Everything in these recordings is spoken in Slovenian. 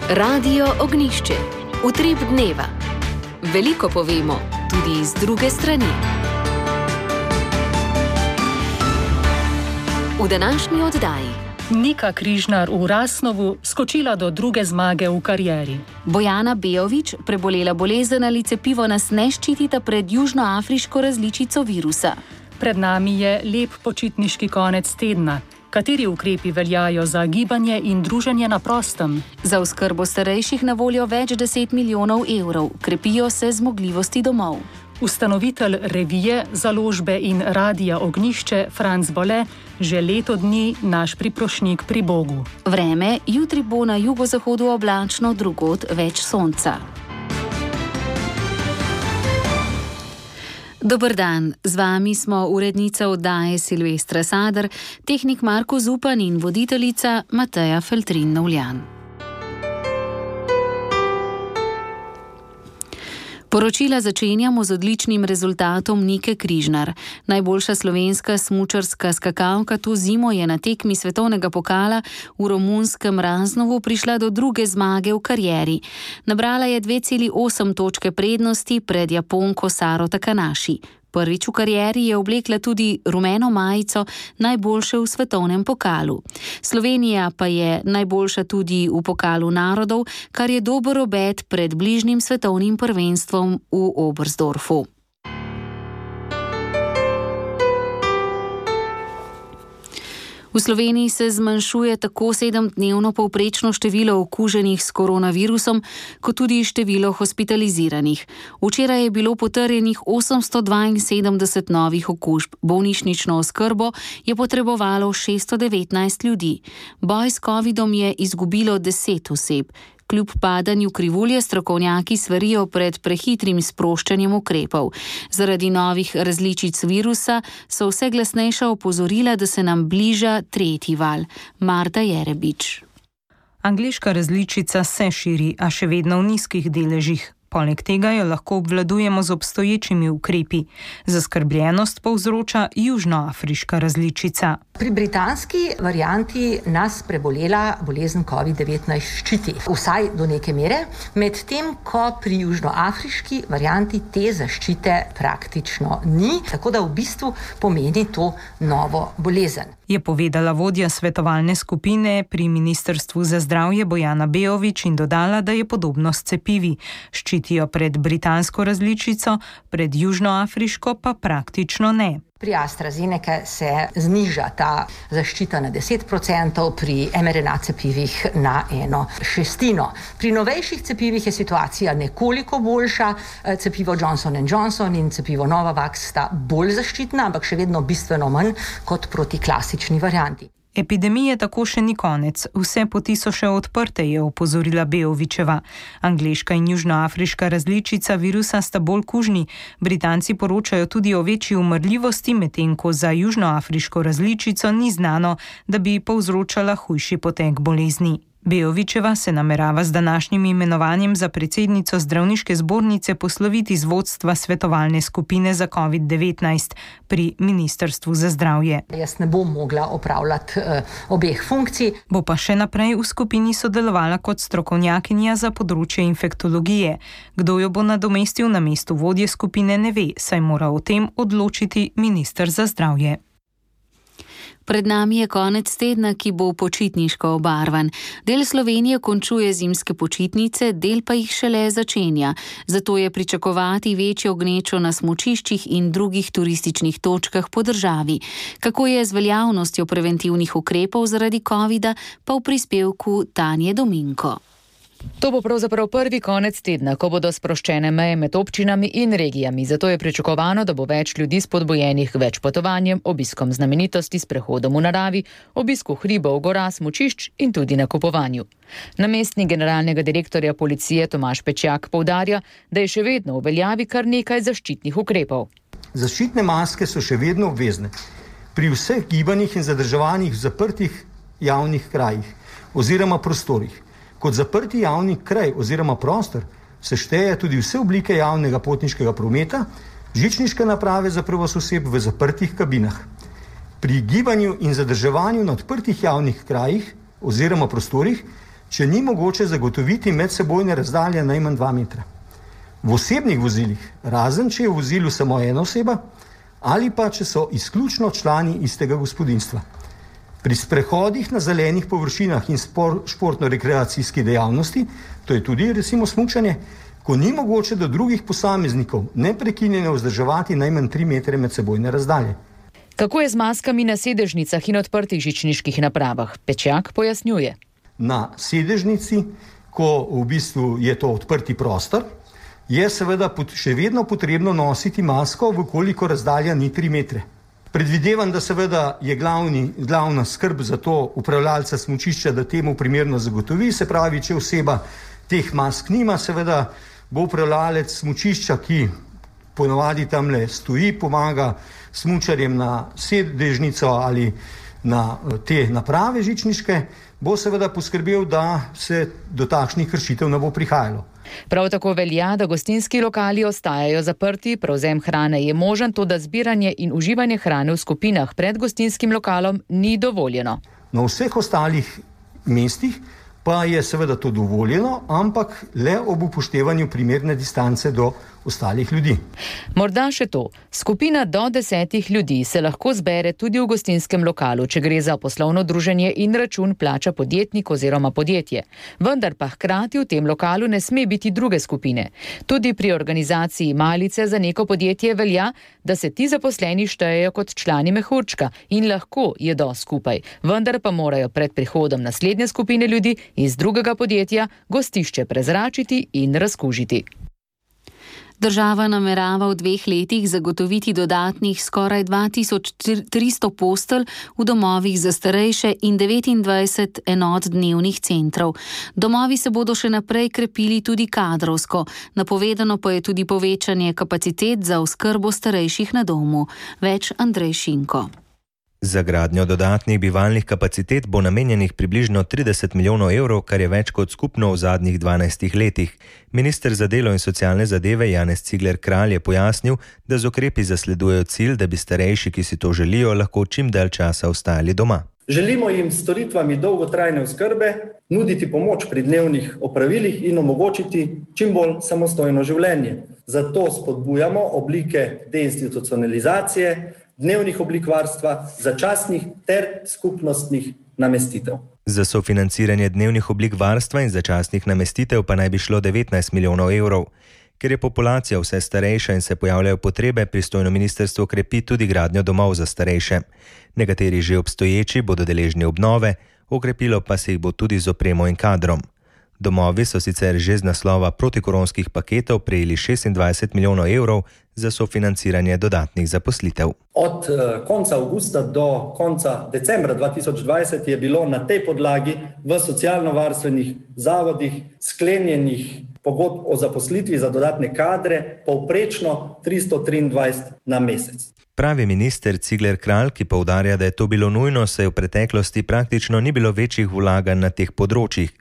Radio Ognišče, utrip dneva. Veliko povemo, tudi iz druge strani. V današnji oddaji Nika Križnar v Rasnovu skočila do druge zmage v karieri. Bojana Bejović prebolela bolezen ali cepivo nas ne ščitita pred južnoafriško različico virusa. Pred nami je lep počitniški konec tedna. Kateri ukrepi veljajo za gibanje in druženje na prostem? Za oskrbo starejših na voljo več 10 milijonov evrov, krepijo se zmogljivosti domov. Ustanovitelj revije, založbe in Radia Ognišče Franc Bole že leto dni naš priprošnjik pri Bogu. Vreme, jutri bo na jugozahodu oblačno, drugod več sonca. Dober dan, z vami smo urednica oddaje Silvestra Sadar, tehnik Marko Zupan in voditeljica Mateja Feltrin-Novljan. Poročila začenjamo z odličnim rezultatom Nike Križnar. Najboljša slovenska smučarska skakalka to zimo je na tekmi svetovnega pokala v romunskem Raznovu prišla do druge zmage v karieri. Nabrala je 2,8 točke prednosti pred Japonko Saro Takanashi. Prvič v karieri je oblekla tudi rumeno majico najboljše v svetovnem pokalu. Slovenija pa je najboljša tudi v pokalu narodov, kar je dober obet pred bližnjim svetovnim prvenstvom v Oberstdorfu. V Sloveniji se zmanjšuje tako 7-dnevno povprečno število okuženih s koronavirusom, kot tudi število hospitaliziranih. Včeraj je bilo potrjenih 872 novih okužb. Bolnišnično oskrbo je potrebovalo 619 ljudi. Boj s covidom je izgubilo 10 oseb. Kljub padanju krivulje strokovnjaki svarijo pred prehitrim sproščanjem ukrepov. Zaradi novih različic virusa so vse glasnejša opozorila, da se nam bliža tretji val. Marta Jerebič. Angleška različica se širi, a še vedno v nizkih deležih. Poleg tega jo lahko obvladujemo z obstoječimi ukrepi. Zaskrbljenost povzroča južnoafriška različica. Pri britanski varianti nas prebolela bolezen COVID-19 ščiti, vsaj do neke mere, medtem ko pri južnoafriški varianti te zaščite praktično ni, tako da v bistvu pomeni to novo bolezen. Je povedala vodja svetovalne skupine pri Ministrstvu za zdravje Bojana Bejović in dodala, da je podobno s cepivi. Ščitijo pred britansko različico, pred južnoafriško pa praktično ne. Pri AstraZeneca se zniža ta zaščita na 10%, pri mRNA cepivih na 1/6. Pri novejših cepivih je situacija nekoliko boljša. Cepivo Johnson & Johnson in cepivo Novavax sta bolj zaščitna, ampak še vedno bistveno manj kot proti klasični varianti. Epidemije tako še ni konec. Vse poti so še odprte, je opozorila Bejovićeva. Angleška in južnoafriška različica virusa sta bolj kužni. Britanci poročajo tudi o večji umrljivosti, medtem ko za južnoafriško različico ni znano, da bi povzročala hujši potek bolezni. Bejovićeva se namerava z današnjim imenovanjem za predsednico zdravniške zbornice posloviti z vodstva svetovalne skupine za COVID-19 pri Ministrstvu za zdravje. Jaz ne bom mogla opravljati obeh funkcij. Bo pa še naprej v skupini sodelovala kot strokovnjakinja za področje infektologije. Kdo jo bo nadomestil na mestu vodje skupine, ne ve, saj mora o tem odločiti minister za zdravje. Pred nami je konec tedna, ki bo počitniško obarvan. Del Slovenije končuje zimske počitnice, del pa jih šele začenja. Zato je pričakovati večjo gnečo na smučiščih in drugih turističnih točkah po državi. Kako je z veljavnostjo preventivnih ukrepov zaradi covida, pa v prispevku Tanje Dominko. To bo pravzaprav prvi konec tedna, ko bodo sproščene meje med občinami in regijami. Zato je pričakovano, da bo več ljudi spodbujenih k več potovanjem, obiskom znamenitosti, sprehodom v naravi, obisku hribov, gora, smučišč in tudi nakupovanju. Namestnik generalnega direktorja policije Tomaž Pečjak poudarja, da je še vedno v veljavi kar nekaj zaščitnih ukrepov. Zaščitne maske so še vedno obvezne pri vseh gibanjih in zadrževanjih v zaprtih javnih krajih oziroma prostorih. Kot zaprti javni kraj oziroma prostor se šteje tudi vse oblike javnega potniškega prometa, žičniške naprave za prevoz oseb v zaprtih kabinah. Pri gibanju in zadrževanju na odprtih javnih krajih oziroma prostorih če ni mogoče zagotoviti medsebojne razdalje najmanj 2 metra. V osebnih vozilih, razen če je v vozilu samo ena oseba, ali pa če so izključno člani istega gospodinjstva. Pri sprehodih na zelenih površinah in športno-rekreacijski dejavnosti, to je tudi recimo smučanje, ko ni mogoče do drugih posameznikov neprekinjeno vzdrževati najmanj 3 metre medsebojne razdalje. Kako je z maskami na sedežnicah in odprtih žičniških napravah? Pečjak pojasnjuje. Na sedežnici, ko v bistvu je to odprti prostor, je seveda še vedno potrebno nositi masko, vkoliko razdalja ni 3 metre. Predvidevam, da seveda je glavna skrb za to upravljalca smučišča, da temu primerno zagotovi, se pravi, če oseba teh mask nima, seveda bo upravljalec smučišča, ki ponovadi tamle stoji, pomaga smučarjem na sedežnico ali na te naprave žičniške, bo seveda poskrbel, da se do takšnih kršitev ne bo prihajalo. Prav tako velja, da gostinski lokali ostajajo zaprti, prevzem hrane je možen, toda zbiranje in uživanje hrane v skupinah pred gostinskim lokalom ni dovoljeno. Na vseh ostalih mestih pa je seveda to dovoljeno, ampak le ob upoštevanju primerne distance do ostalih ljudi. Morda še to. Skupina do 10 ljudi se lahko zbere tudi v gostinskem lokalu, če gre za poslovno druženje in račun plača podjetnik oziroma podjetje. Vendar pa hkrati v tem lokalu ne sme biti druge skupine. Tudi pri organizaciji malice za neko podjetje velja, da se ti zaposleni štejejo kot člani mehurčka in lahko jedo skupaj. Vendar pa morajo pred prihodom naslednje skupine ljudi iz drugega podjetja gostišče prezračiti in razkužiti. Država namerava v 2 letih zagotoviti dodatnih skoraj 2300 postelj v domovih za starejše in 29 enot dnevnih centrov. Domovi se bodo še naprej krepili tudi kadrovsko. Napovedano pa je tudi povečanje kapacitet za oskrbo starejših na domu. Več Andrej Šinko. Za gradnjo dodatnih bivalnih kapacitet bo namenjenih približno 30 milijonov evrov, kar je več kot skupno v zadnjih 12 letih. Minister za delo in socialne zadeve Janez Cigler Kralj je pojasnil, da z ukrepi zasledujejo cilj, da bi starejši, ki si to želijo, lahko čim dalj časa ostajali doma. Želimo jim s storitvami dolgotrajne oskrbe nuditi pomoč pri dnevnih opravilih in omogočiti čim bolj samostojno življenje. Zato spodbujamo oblike deinstitucionalizacije, dnevnih oblik varstva, začasnih ter skupnostnih namestitev. Za sofinanciranje dnevnih oblik varstva in začasnih namestitev pa naj bi šlo 19 milijonov evrov. Ker je populacija vse starejša in se pojavljajo potrebe, pristojno ministrstvo krepi tudi gradnjo domov za starejše. Nekateri že obstoječi bodo deležni obnove, okrepilo pa se jih bo tudi z opremo in kadrom. Domovi so sicer že z naslova protikoronskih paketov prejeli 26 milijonov evrov za sofinanciranje dodatnih zaposlitev. Od konca avgusta do konca decembra 2020 je bilo na tej podlagi v socialno-varstvenih zavodih sklenjenih pogodb o zaposlitvi za dodatne kadre povprečno 323 na mesec. Pravi minister Cigler Kralj, ki poudarja, da je to bilo nujno, saj v preteklosti praktično ni bilo večjih vlaganj na teh področjih.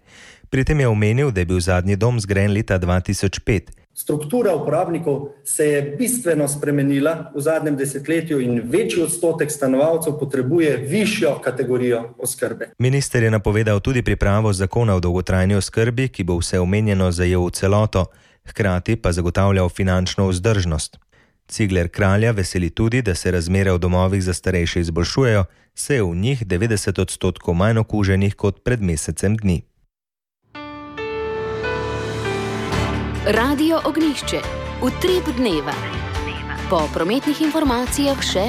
Pri tem je omenil, da je bil zadnji dom zgrajen leta 2005. Struktura uporabnikov se je bistveno spremenila v zadnjem desetletju in večji odstotek stanovalcev potrebuje višjo kategorijo oskrbe. Minister je napovedal tudi pripravo zakona o dolgotrajni oskrbi, ki bo vse omenjeno zajel v celoto, hkrati pa zagotavljal finančno vzdržnost. Cigler Kralja veseli tudi, da se razmere v domovih za starejše izboljšujejo, saj je v njih 90% manj okuženih kot pred mesecem dni. Radio Ognjišče. Utrip dneva. Po prometnih informacijah še...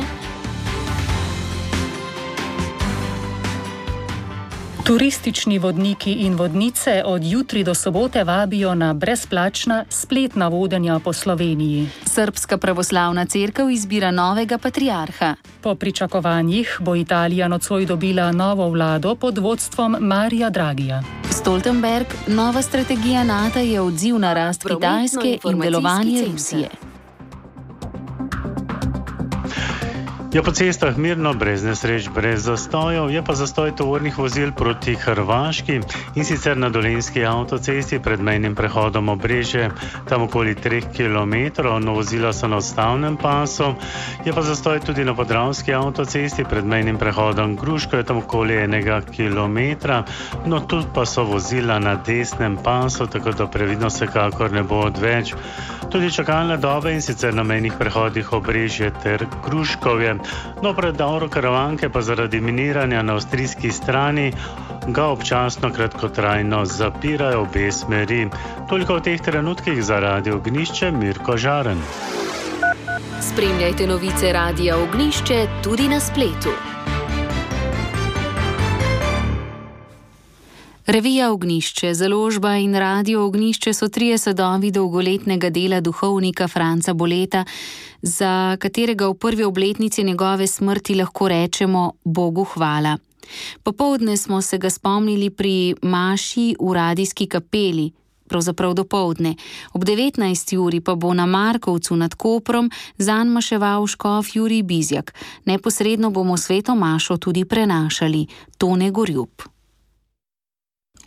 Turistični vodniki in vodnice od jutri do sobote vabijo na brezplačna spletna vodenja po Sloveniji. Srbska pravoslavna cerkev izbira novega patriarha. Po pričakovanjih bo Italija nocoj dobila novo vlado pod vodstvom Marija Dragija. Stoltenberg, nova strategija NATO je odziv na rast Kitajske in delovanje Rusije. Je po cestah mirno, brez nesreč, brez zastojev, je pa zastoj tovornih vozil proti Hrvaški in sicer na Dolenjski avtocesti pred mejnim prehodom Obrežje, tam okoli 3 km, no vozila so na odstavnem pasu, je pa zastoj tudi na Podravski avtocesti pred mejnim prehodom Gruško, je tam okoli 1 km, no tu pa so vozila na desnem pasu, tako da previdnost vsekakor ne bo odveč. Tudi čakalne dobe in sicer na mejnih prehodih Obrežje ter Gruškovje. No, predor Karavanke pa zaradi miniranja na avstrijski strani ga občasno kratkotrajno zapirajo obe smeri. Toliko v teh trenutkih za Radio Ognišče, Mirko Žaren. Spremljajte novice Radia Ognišče tudi na spletu. Revija Ognišče, založba in Radio Ognišče so 3 sadovi dolgoletnega dela duhovnika Franca Boleta, za katerega v prvi obletnici njegove smrti lahko rečemo Bogu hvala. Popoldne smo se ga spomnili pri maši v radijski kapeli, pravzaprav dopoldne. Ob 19. uri pa bo na Markovcu nad Koprom zanj maševal škof Jurij Bizjak. Neposredno bomo sveto mašo tudi prenašali. Tone Gorjup.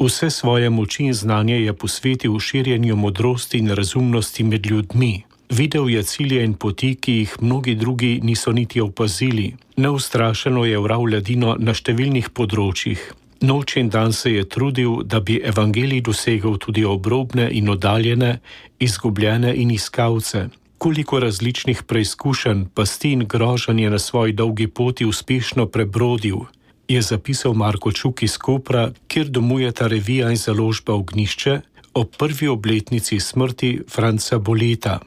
Vse svoje moči in znanje je posvetil širjenju modrosti in razumnosti med ljudmi. Videl je cilje in poti, ki jih mnogi drugi niso niti opazili. Neustrašeno je vral ledino na številnih področjih. Noč in dan se je trudil, da bi evangelij dosegel tudi obrobne in oddaljene, izgubljene in iskalce. Koliko različnih preizkušenj, pasti in groženj je na svoji dolgi poti uspešno prebrodil, je zapisal Marko Čuk iz Kopra, kjer domujeta revija in založba Ognišče ob prvi obletnici smrti Franca Boleta.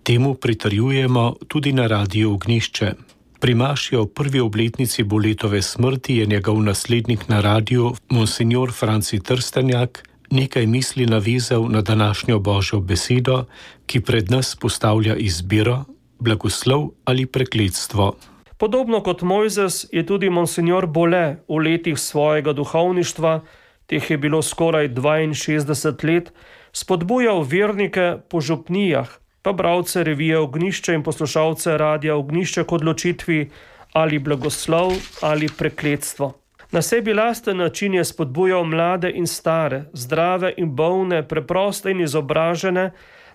Temu pritrjujemo tudi na Radiu Ognišče. Pri maši o prvi obletnici Boletove smrti je njegov naslednik na radiju, monsignor Franci Trstenjak, nekaj misli navezal na današnjo Božjo besedo, ki pred nas postavlja izbiro, blagoslov ali prekletstvo. Podobno kot Mojzes je tudi monsignor Bole v letih svojega duhovništva, teh je bilo skoraj 62 let, spodbujal vernike po župnijah, pa bralce revije Ognišče in poslušalce Radia Ognišče k odločitvi ali blagoslov ali prekletstvo. Na sebi lasten način je spodbujal mlade in stare, zdrave in bolne, preproste in izobražene,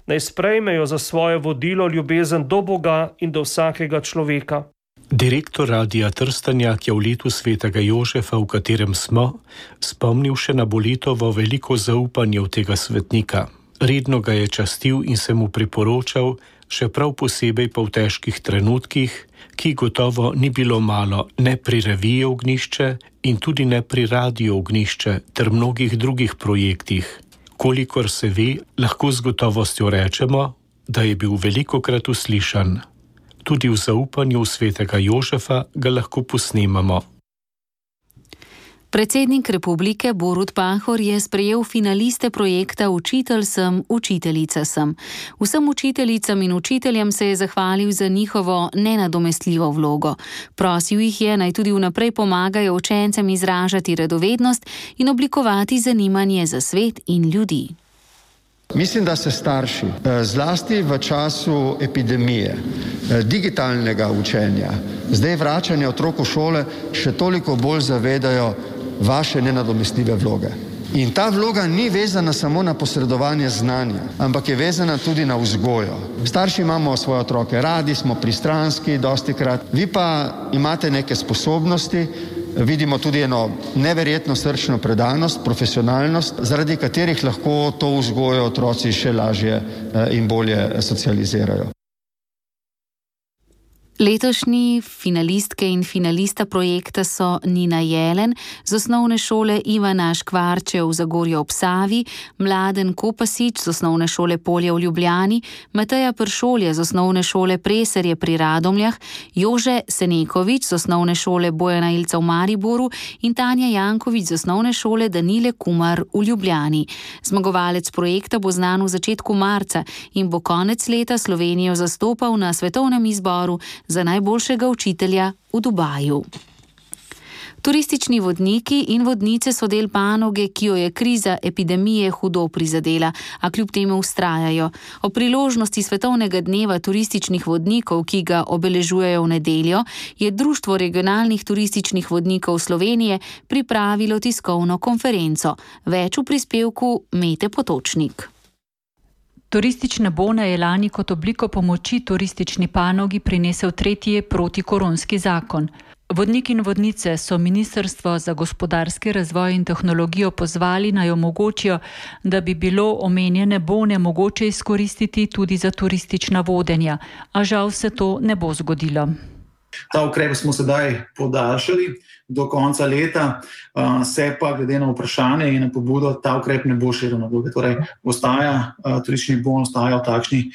naj sprejmejo za svoje vodilo ljubezen do Boga in do vsakega človeka. Direktor Radia Trstenjak je v letu svetega Jožefa, v katerem smo, spomnil še na Boletovo veliko zaupanje v tega svetnika. Redno ga je častil in se mu priporočal, še prav posebej pa v težkih trenutkih, ki gotovo ni bilo malo ne pri reviji Ognišče in tudi ne pri Radiu Ognišče ter mnogih drugih projektih. Kolikor se ve, lahko z gotovostjo rečemo, da je bil velikokrat uslišan. Tudi v zaupanju svetega Jožefa ga lahko posnemamo. Predsednik republike Borut Pahor je sprejel finaliste projekta Učitelj sem, učiteljica sem. Vsem učiteljicam in učiteljem se je zahvalil za njihovo nenadomestljivo vlogo. Prosil jih je, naj tudi vnaprej pomagajo učencem izražati radovednost in oblikovati zanimanje za svet in ljudi. Mislim, da se starši, zlasti v času epidemije, digitalnega učenja, zdaj vračanja otrok v šole, še toliko bolj zavedajo vaše nenadomestljive vloge. In ta vloga ni vezana samo na posredovanje znanja, ampak je vezana tudi na vzgojo. Starši imamo svoje otroke radi, smo pristranski dostikrat, vi pa imate neke sposobnosti, vidimo tudi eno neverjetno srčno predanost, profesionalnost, zaradi katerih lahko to vzgojo otroci še lažje in bolje socializirajo. Letošnji finalistke in finalista projekta so Nina Jelen z osnovne šole Ivana Škvarče v Zagorju ob Savi, Mladen Kopasič z osnovne šole Polje v Ljubljani, Mateja Pršolje z osnovne šole Preserje pri Radomljah, Jože Senekovič z osnovne šole Bojana Ilca v Mariboru in Tanja Jankovič z osnovne šole Danile Kumar v Ljubljani. Zmagovalec projekta bo znan v začetku marca in bo konec leta Slovenijo zastopal na svetovnem izboru za najboljšega učitelja v Dubaju. Turistični vodniki in vodnice so del panoge, ki jo je kriza epidemije hudo prizadela, a kljub temu vztrajajo. O priložnosti Svetovnega dneva turističnih vodnikov, ki ga obeležujejo v nedeljo, je Društvo regionalnih turističnih vodnikov Slovenije pripravilo tiskovno konferenco. Več v prispevku Mete Potočnik. Turistične bone je lani kot obliko pomoči turistični panogi prinesel tretji protikoronski zakon. Vodniki in vodnice so Ministrstvo za gospodarski razvoj in tehnologijo pozvali, naj omogočijo, da bi bilo omenjene bone mogoče izkoristiti tudi za turistična vodenja, a žal se to ne bo zgodilo. Ta ukrep smo sedaj podaljšali do konca leta, se pa glede na vprašanje in na pobudo ta ukrep ne bo širil na druge. Torej, turistični bon ostaja v takšni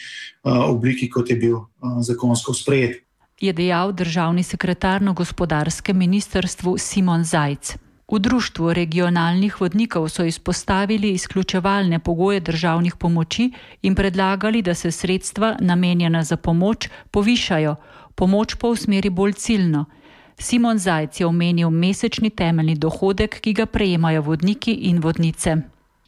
obliki, kot je bil zakonsko sprejet. Je dejal državni sekretar na gospodarskem ministrstvu Simon Zajc. V Društvu regionalnih vodnikov so izpostavili izključevalne pogoje državnih pomoči in predlagali, da se sredstva namenjena za pomoč povišajo, pomoč pa usmeri bolj ciljno. Simon Zajc je omenil mesečni temeljni dohodek, ki ga prejemajo vodniki in vodnice.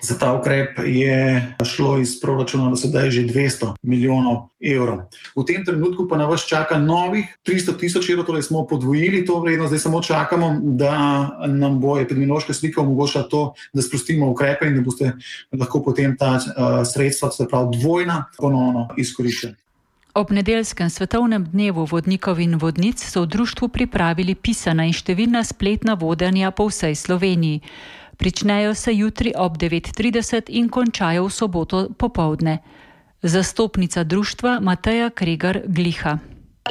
Za ta ukrep je šlo iz proračuna do sedaj že 200 milijonov evrov. V tem trenutku pa na vas čaka novih 300 tisoč evrov, torej smo podvojili to vrednost, zdaj samo čakamo, da nam bo epidemiološka slika omogočila to, da sprostimo ukrepe in da boste lahko potem ta sredstva, se pravi dvojna, ponovno izkoriščali. Ob nedeljskem svetovnem dnevu vodnikov in vodnic so v društvu pripravili pisana in številna spletna vodenja po vsej Sloveniji. Pričnejo se jutri ob 9:30 in končajo v soboto popoldne. Zastopnica društva Mateja Kregar-Gliha.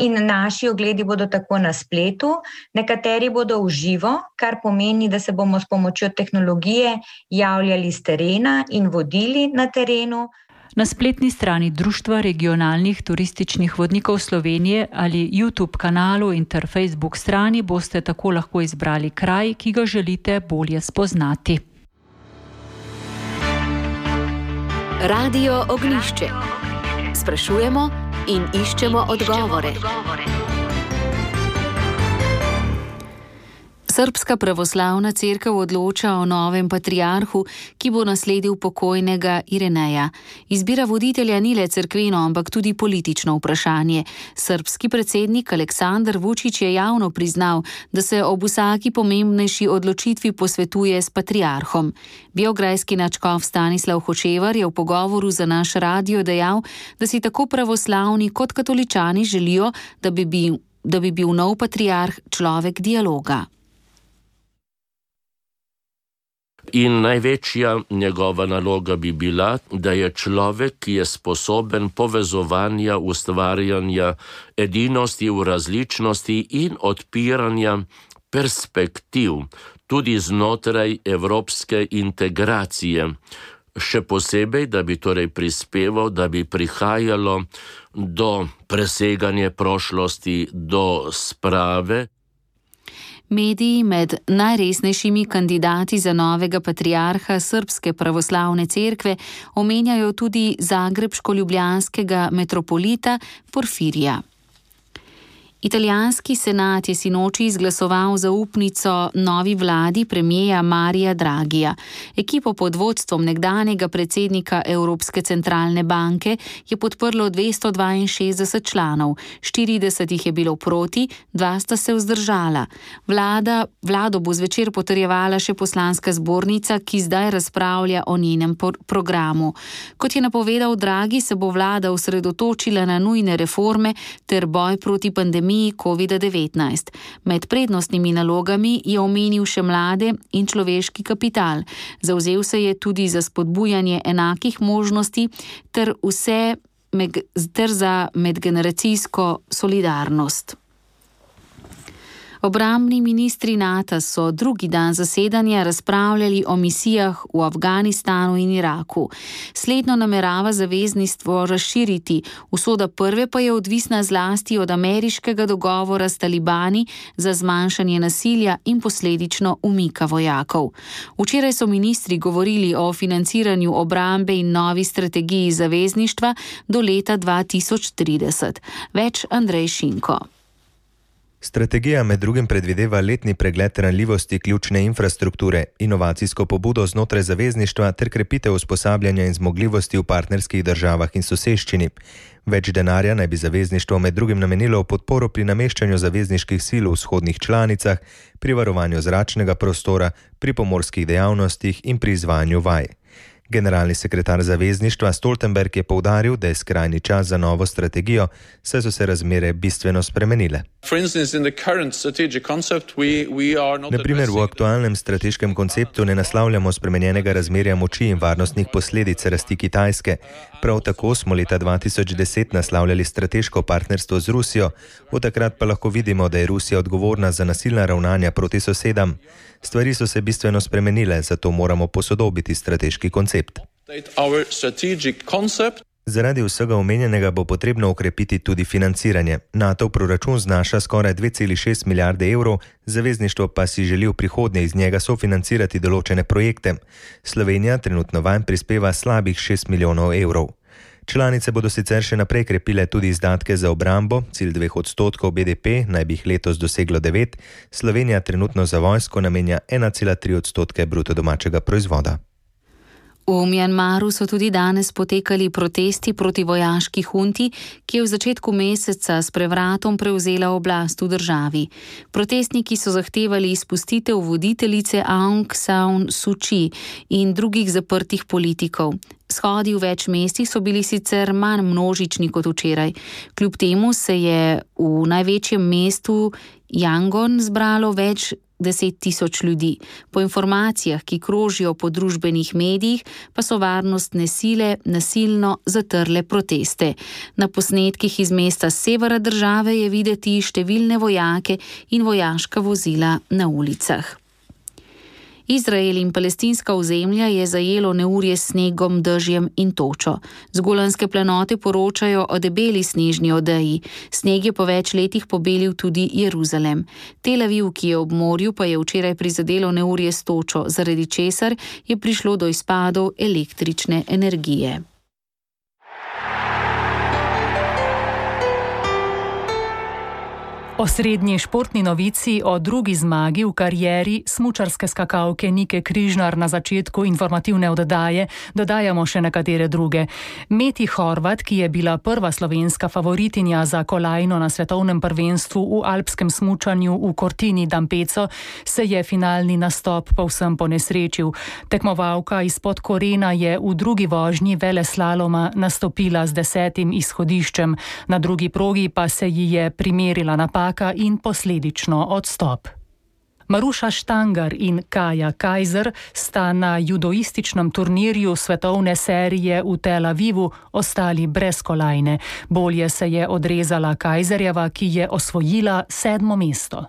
In naši ogledi bodo tako na spletu, nekateri bodo v živo, kar pomeni, da se bomo s pomočjo tehnologije javljali z terena in vodili na terenu. Na spletni strani Društva regionalnih turističnih vodnikov Slovenije ali YouTube kanalu in ter Facebook strani boste tako lahko izbrali kraj, ki ga želite bolje spoznati. Radio Ognjišče. Sprašujemo in iščemo odgovore. Srbska pravoslavna cerkev odloča o novem patriarhu, ki bo nasledil pokojnega Irineja. Izbira voditelja ni le cerkveno, ampak tudi politično vprašanje. Srbski predsednik Aleksandar Vučić je javno priznal, da se ob vsaki pomembnejši odločitvi posvetuje s patriarhom. Beograjski nadškof Stanislav Hočevar je v pogovoru za naš radio dejal, da si tako pravoslavni kot katoličani želijo, da bi bil nov patriarh človek dialoga. In največja njegova naloga bi bila, da je človek, ki je sposoben povezovanja, ustvarjanja, edinosti v različnosti in odpiranja perspektiv, tudi znotraj evropske integracije. Še posebej, da bi torej prispeval, da bi prihajalo do preseganja prošlosti, do sprave. Mediji med najresnejšimi kandidati za novega patriarha Srbske pravoslavne cerkve omenjajo tudi zagrebško-ljubljanskega metropolita Porfirija. Italijanski senat je sinoči izglasoval zaupnico novi vladi premierja Marija Draghija. Ekipo pod vodstvom nekdanjega predsednika Evropske centralne banke je podprlo 262 članov, 40 jih je bilo proti, 2 sta se vzdržala. Vlado bo zvečer potrjevala še poslanska zbornica, ki zdaj razpravlja o njenem programu. Kot je napovedal Draghi, se bo vlada osredotočila na nujne reforme ter boj proti pandemiji COVID-19. Med prednostnimi nalogami je omenil še mlade in človeški kapital. Zavzel se je tudi za spodbujanje enakih možnosti ter za medgeneracijsko solidarnost. Obrambni ministri NATO so drugi dan zasedanja razpravljali o misijah v Afganistanu in Iraku. Slednjo namerava zavezništvo razširiti, usoda prve pa je odvisna zlasti od ameriškega dogovora s talibani za zmanjšanje nasilja in posledično umika vojakov. Včeraj so ministri govorili o financiranju obrambe in novi strategiji zavezništva do leta 2030. Več Andrej Šinko. Strategija med drugim predvideva letni pregled ranljivosti ključne infrastrukture, inovacijsko pobudo znotraj zavezništva ter krepitev usposabljanja in zmogljivosti v partnerskih državah in soseščini. Več denarja naj bi zavezništvo med drugim namenilo v podporo pri nameščanju zavezniških sil v vzhodnih članicah, pri varovanju zračnega prostora, pri pomorskih dejavnostih in pri izvajanju vaj. Generalni sekretar zavezništva Stoltenberg je poudaril, da je skrajni čas za novo strategijo, saj so se razmere bistveno spremenile. Na primer, v aktualnem strateškem konceptu ne naslavljamo spremenjenega razmerja moči in varnostnih posledic rasti Kitajske. Prav tako smo leta 2010 naslavljali strateško partnerstvo z Rusijo, od takrat pa lahko vidimo, da je Rusija odgovorna za nasilna ravnanja proti sosedam. Stvari so se bistveno spremenile, zato moramo posodobiti strateški koncept. Zaradi vsega omenjenega bo potrebno ukrepiti tudi financiranje. NATO proračun znaša skoraj 2,6 milijarde evrov, zavezništvo pa si želi v prihodnje iz njega sofinancirati določene projekte. Slovenija trenutno vanj prispeva slabih 6 milijonov evrov. Članice bodo sicer še naprej krepile tudi izdatke za obrambo, cilj 2% BDP naj bi jih letos doseglo 9, Slovenija trenutno za vojsko namenja 1,3% bruto domačega proizvoda. V Mjanmaru so tudi danes potekali protesti proti vojaški hunti, ki je v začetku meseca s prevratom prevzela oblast v državi. Protestniki so zahtevali izpustitev voditeljice Aung San Suu Kyi in drugih zaprtih politikov. Shodi v več mestih so bili sicer manj množični kot včeraj. Kljub temu se je v največjem mestu Yangon zbralo več 10.000 ljudi. Po informacijah, ki krožijo po družbenih medijih, pa so varnostne sile nasilno zatrle proteste. Na posnetkih iz mesta severa države je videti številne vojake in vojaška vozila na ulicah. Izrael in palestinska ozemlja je zajelo neurje s snegom, dežjem in točo. Z Golanske planote poročajo o debeli snežni odeji. Sneg je po več letih pobelil tudi Jeruzalem. Tel Aviv, ki je ob morju, pa je včeraj prizadelo neurje s točo, zaradi česar je prišlo do izpadov električne energije. Osrednji športni novici o drugi zmagi v karieri smučarske skakalke Nike Križnar na začetku informativne oddaje dodajamo še nekatere druge. Meti Horvat, ki je bila prva slovenska favoritinja za kolajno na svetovnem prvenstvu v alpskem smučanju v Cortini d'Ampezzo, se je finalni nastop povsem ponesrečil. Tekmovalka izpod Korena je v drugi vožnji veleslaloma nastopila z 10. izhodiščem, na drugi progi pa se ji je primerila napaka in posledično odstop. Maruša Štangar in Kaja Kajzer sta na judoističnem turnirju svetovne serije v Tel Avivu ostali brez kolajne. Bolje se je odrezala Kajzerjeva, ki je osvojila 7. mesto.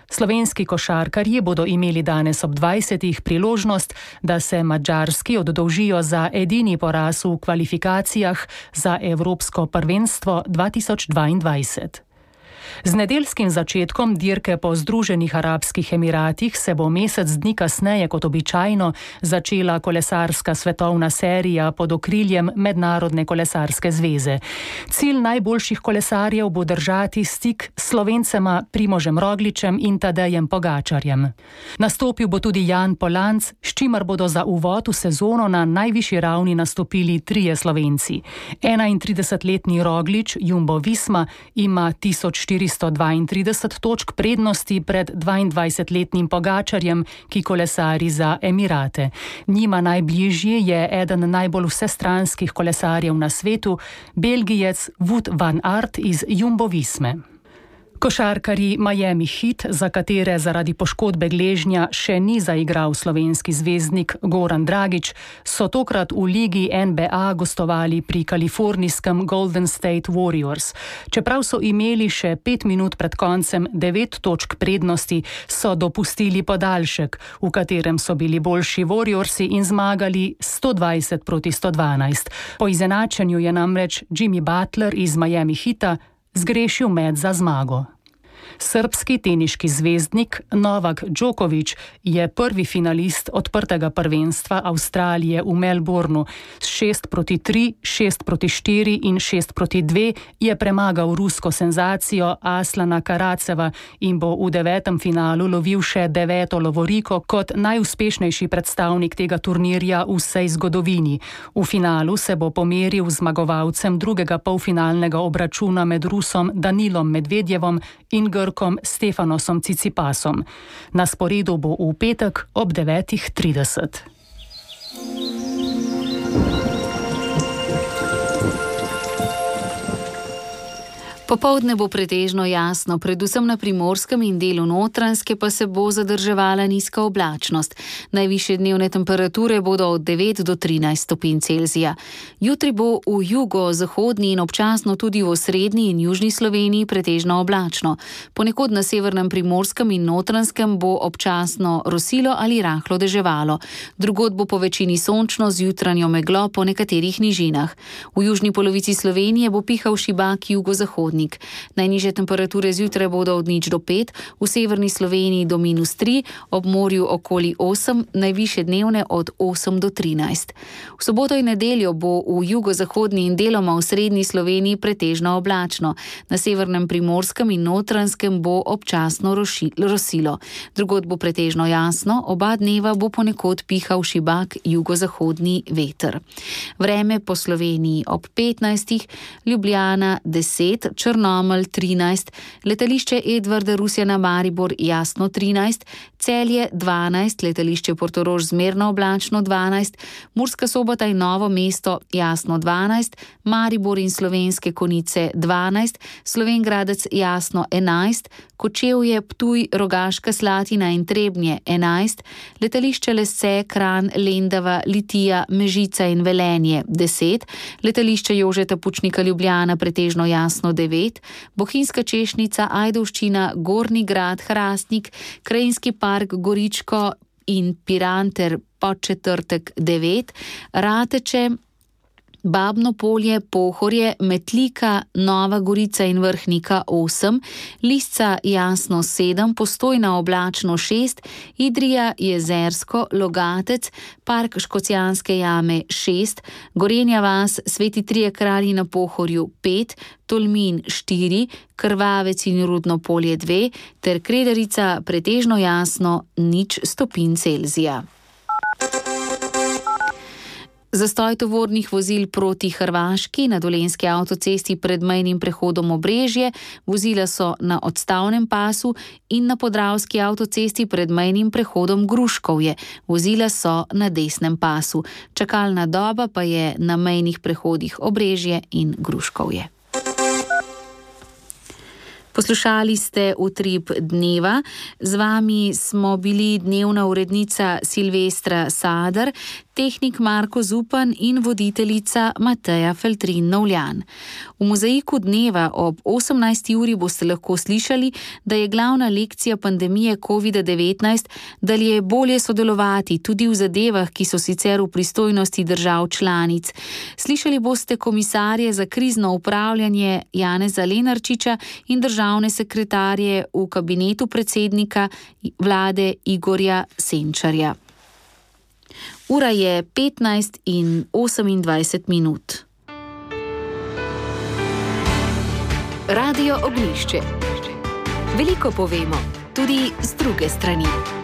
Slovenski košarkarji bodo imeli danes ob 20. priložnost, da se Madžarski oddolžijo za edini poraz v kvalifikacijah za Evropsko prvenstvo 2022. Z nedeljskim začetkom dirke po Združenih arabskih emiratih se bo mesec dni kasneje kot običajno začela kolesarska svetovna serija pod okriljem Mednarodne kolesarske zveze. Cilj najboljših kolesarjev bo držati stik s Slovencema Primožem Rogličem in Tadejem Pogačarjem. Nastopil bo tudi Jan Polanc, s čimer bodo za uvod v sezono na najvišji ravni nastopili 3 Slovenci. 31-letni Roglič, Jumbo Visma, ima 1432 točk prednosti pred 22-letnim Pogačarjem, ki kolesari za Emirate. Njima najbližji je eden najbolj vsestranskih kolesarjev na svetu, Belgijec Wout van Aert iz Jumbo Visme. Košarkarji Miami Heat, za katere zaradi poškodbe gležnja še ni zaigral slovenski zvezdnik Goran Dragić, so tokrat v ligi NBA gostovali pri kalifornijskem Golden State Warriors. Čeprav so imeli še 5 minut pred koncem 9 točk prednosti, so dopustili podaljšek, v katerem so bili boljši Warriorsi in zmagali 120-112. Po izenačenju je namreč Jimmy Butler iz Miami Heata zgrešil met za zmago. Srbski teniški zvezdnik Novak Djokovic je prvi finalist odprtega prvenstva Avstralije v Melbournu. S 6-3, 6-4 in 6-2 je premagal rusko senzacijo Aslana Karaceva in bo v 9. finalu lovil še 9. lovoriko kot najuspešnejši predstavnik tega turnirja v vsej zgodovini. V finalu se bo pomeril z zmagovalcem drugega polfinalnega obračuna med Rusom Danilom Medvedjevom in Grkom Stefanosom Cicipasom. Na sporedu bo v petek ob 9:30. Popoldne bo pretežno jasno, predvsem na Primorskem in delu Notranjske pa se bo zadrževala nizka oblačnost. Najvišje dnevne temperature bodo od 9 do 13 stopinj Celzija. Jutri bo v jugo-zahodni in občasno tudi v osrednji in južni Sloveniji pretežno oblačno. Ponekod na severnem Primorskem in Notranjskem bo občasno rosilo ali rahlo deževalo. Drugod bo po večini sončno z jutranjo meglo po nekaterih nižinah. V južni polovici Slovenije bo pihal šibak jugozahodni. Najnižje temperature zjutraj bodo od 0 do 5, v severni Sloveniji do -3, ob morju okoli 8, najvišje dnevne od 8 do 13. V soboto in nedeljo bo v jugozahodni in deloma v srednji Sloveniji pretežno oblačno. Na severnem Primorskem in Notranjskem bo občasno rosilo. Drugod bo pretežno jasno, oba dneva bo ponekod pihal šibak jugozahodni veter. Vreme po Sloveniji ob 15, Ljubljana 10, Črnomelj 13, letališče Edvarda Rusjana Maribor jasno 13, Celje 12, letališče Portorož zmerno oblačno 12, Murska Sobota in Novo mesto jasno 12, Maribor in Slovenske Konjice 12, Slovenj Gradec jasno 11, Kočevje, Ptuj, Rogaška Slatina in Trebnje 11, letališče Lesce, Kranj, Lendava, Litija, Mežica in Velenje 10, letališče Jožeta Pučnika Ljubljana pretežno jasno 9, Bohinjska Češnica, Ajdovščina, Gornji Grad, Hrastnik, Krajinski park Goričko in Piran ter Podčetrtek 9, Rateče, Babno Polje, Pohorje, Metlika, Nova Gorica in Vrhnika 8, Lisca jasno 7, Postojna oblačno 6, Idrija, Jezersko, Logatec, Park Škocjanske jame 6, Gorenja vas, Sveti Trije kralji na Pohorju 5, Tolmin 4, Krvavec in Rudno Polje 2 ter Krederica pretežno jasno 0 stopinj Celzija. Zastoj tovornih vozil proti Hrvaški na Dolenjski avtocesti pred mejnim prehodom Obrežje, vozila so na odstavnem pasu in na Podravski avtocesti pred mejnim prehodom Gruškovje, vozila so na desnem pasu. Čakalna doba pa je na mejnih prehodih Obrežje in Gruškovje. Poslušali ste Utrip dneva, z vami smo bili dnevna urednica Silvestra Sadar, tehnik Marko Zupan in voditeljica Mateja Feltrin-Novljan. V mozaiku dneva ob 18. uri boste lahko slišali, da je glavna lekcija pandemije COVID-19, da je bolje sodelovati tudi v zadevah, ki so sicer v pristojnosti držav članic. Slišali boste komisarje za krizno upravljanje Janeza Lenarčiča in državne sekretarje v kabinetu predsednika vlade Igorja Senčarja. Ura je 15:28. Radio Ognjišče. Veliko povemo, tudi z druge strani.